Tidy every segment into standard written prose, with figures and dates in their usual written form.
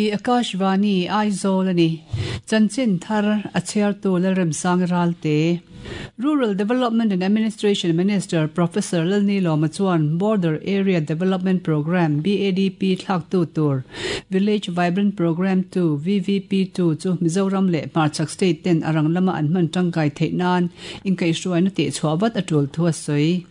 Hei hi Akashvani Aizawl a ni. Chanchin thar a chhiartu Lalremsang Ralte. Rural Development and Administration Minister Professor Lalnilawma chuan Border Area Development Programme, BADP, thlaktu tur Village Vibrant Programme 2, VVP-2, chu Mizoram leh hmarchhak state ten a rang lama an hman tangkai theih nan inkaihhruaina tihchhuah vat a tul thu a sawi.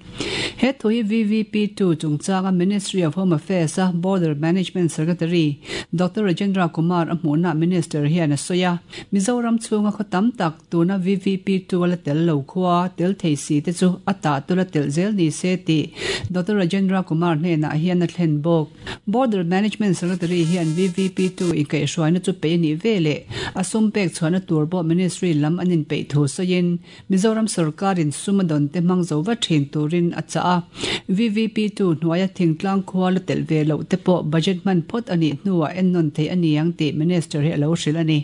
He thu hi VVP-2 chungchanga Ministry of Home Affairs-a Border Management Secretary Doctor Rajendra Kumar a hmuhna Minister hian a sawi a. Mizoram chhunga khaw tam tak tuna VVP-2 a la tel lo khua tel thei si te chu a tah tul a telh zel ni se tih Doctor Rajendra Kumar hnenah hian a thlen bawk. Border Management Secretary hian VVP-2 inkaihhruaina chu peih a nih veleh a sum pek chhuahna tur pawh Ministry lam an inpeih thu sawiin Mizoram sorkarin sum a dawn te hmang zo vat thin turin a chah a. VVP-2 hnuaia thingtlang khua la telh ve loh te pawh budget hman phawt a nih hnuah ennawn theih a ni ang tih Minister hi a lo hrilh a ni.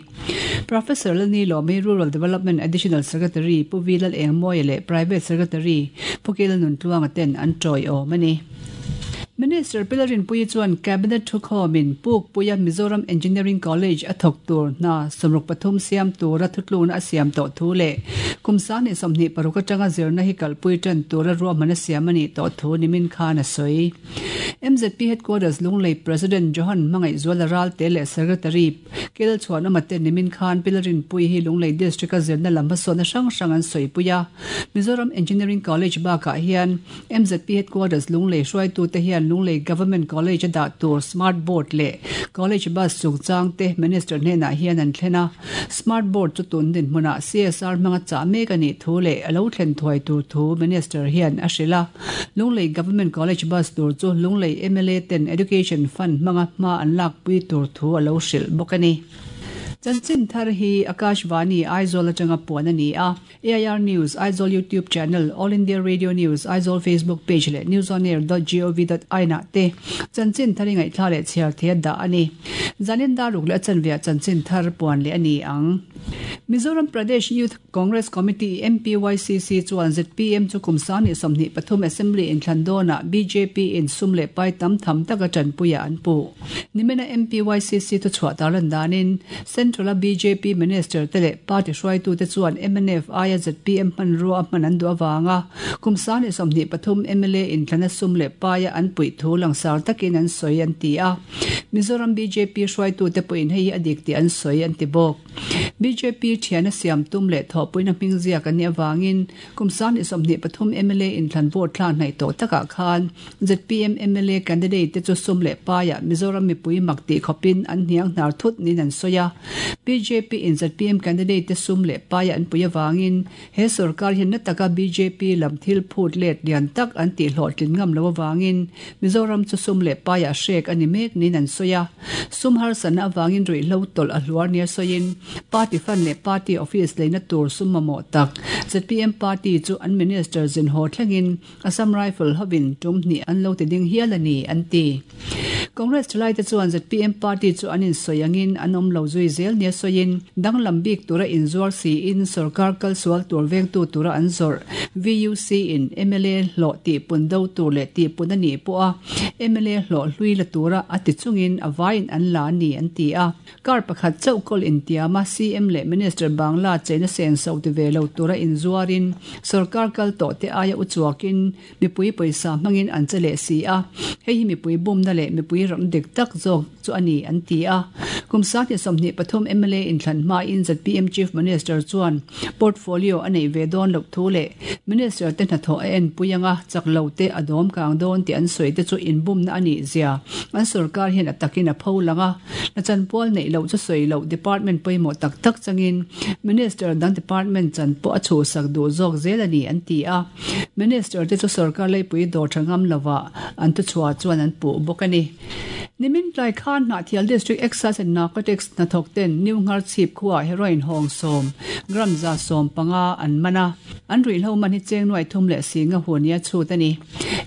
Professor Lalni Lawmi, Rural Development Additional Secretary Pu V Lalengmawia leh Private Secretary Pu Kil Nuntluanga ten an tawiawm a ni. Minister Pi Lalrinpuii chuan Cabinet thukhawmin Pukpuia Mizoram Engineering College a thawk tur hna 63 siam tura thutlukna a siam tawh thu leh kum 2026 atanga zirna hi kalpui tan tura ruahman a siam a nih tawh thu nimin khan a sawi. MZP Headquarters Lunglei President Johan Hmangaihzuala Ralte leh Secretary Kel Chhuanawma te nimin khan Pi Lalrinpuii hi Lunglei District-a zirna lam hmasawnna hrang hrang an sawipui a. Mizoram Engineering College bakah hian MZP Headquarters Lunglei hruaitute hian Lunglei Government College a dah tur Smart Board leh College Bus chungchang te Minister hnenah hian an thlen a. Smart Board chu tun dinhmunah CSR hmanga chah mek a nih thu leh a lo thlen thuai tur thu Minister hian a hrilh a. Lunglei Government College Bus tur chu Lunglei mla ten Education Fund hmanga hma an lakpui tur thu a lo hrilh bawk a ni. Chanchin thar hi Akashvani Aizawl atanga puan a ni a. AIR News, Aizawl YouTube Channel, All India Radio News, Aizawl Facebook Page leh newsonair dot gov dot in ah te chanchin thar i ngaihthla leh chhiar thei a dah a ni. Zanin dar ruk leh a chanveah chanchin thar puan leh a ni ang. Mizoram Pradesh Youth Congress Committee, MPYCC, chuan zpm chu kum 2023 Assembly inthlan dawnah bjp in sum leh pai tam tham taka tanpuiah an puh. Nimina MPYCC thuchhuah tarlan danin Central-a bjp Minister te leh party hruaitute chuan mnf aia zpm hmanrua a hman an duh avanga kum 23 mla inthlana sum leh paia an puih thu langsar takin an sawi an ti a. Mizoram bjp hruaitute pawhin hei hi a dik tih an sawi an ti bawk. Bjp thiana siam tum leh thawhpuina hming ziak an nih avangin kum 23 mla inthlan vote thla hnaih tawh takah khan Zpm mla candidate te chu sum leh paiah Mizoram mipui mak tih khawpin an hniang hnar thut niin an sawi a. Bjp in zpm candidate te sum leh paiah an pui avangin he sorkar hian na taka bjp lam thil phut let lian tak an tih hlawhtlin ngam lo avangin Mizoram chu sum leh paiah hrek a ni mek niin an sawi a. Sum harsatna avangin ruihhlo tawlh a hluar nia sawiin party fund leh party office leina tur sum mamawh tak zpm party chu an minister zin haw thlengin Assam Rifle hovin tum hnih an lo ti ding hial a ni, an ti. Congress thalaite chuan zpm party chu an insawi angin an awm lo zui zel nia sawiin, danglam bik tura inzuar siin sorkar kalsual tur vengtu tura an zawrh VUC in mla hlawh tihpun do tur leh tihpun a nih pawha mla hlawh hlui la tura a ti chungin a vaiin an la a ni, an ti a. Kar pakhat chauh kawl intiama CM leh Minister Bangla cheina senso ti ve lo tura inzuarin sorkar kal tawh te aia u chuakin mipui pawisa hmangin an che leh si a, hei hi mipui bumna leh mipui ram dik tak zawk chu a ni an ti a. Kum 2023 mla inthlan hmain zpm Chief Minister chuan portfolio a neih ve dawn loh thu leh Minister te hnathawh a enpui anga chak lo te a dawm kang dawn tih an sawi te chu inbumna a nih zia an sorkar hian a takin a pho lang a. Hna chanpual neih loh chu sawi loh department pawimawh tak tak changin Minister dang department chan pawh a chhuhsak duh zawk zel a ni an ti a. Minister te chu sorkar leipui dawr tha ngam lovah an thuchhuah chuan an puh bawk a ni. Nimin tlai khan Hnahthial District Excise and Narcotics hnathawk ten New Ngharchhip khuaah heroin hawng sawm, gram 150 an man a, an ruihhlo man hi cheng nuai thum leh si nga hu nia chhut a ni.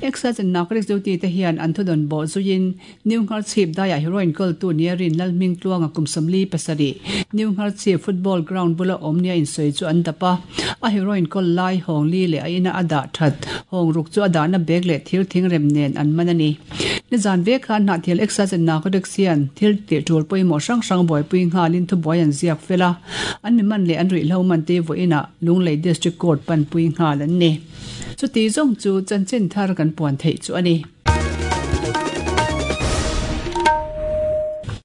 Excise and Narcotics duty te hian an thudawn bawh zuiin New Ngharchhip daiah heroin kawltu nia rin Lalhming Tluanga kum 47, New Ngharchhip football ground bula awm nia insawi chu an dap a. A heroin kawl lai hawng li leh a ina a dah that hawng ruk chu a dahna bag leh thir thing rem nen an man a ni. Nizan vek khan Hnahthial Excise and Narcotics hian thil tih tul pawimawh hrang hrang buaipui nghalin thubuai an ziak fel a, an mi man leh an ruihhlo man te vawiinah Lunglei District Court panpui nghal an ni. Chuti zawng chu chanchin thar kan puan theih chu a ni.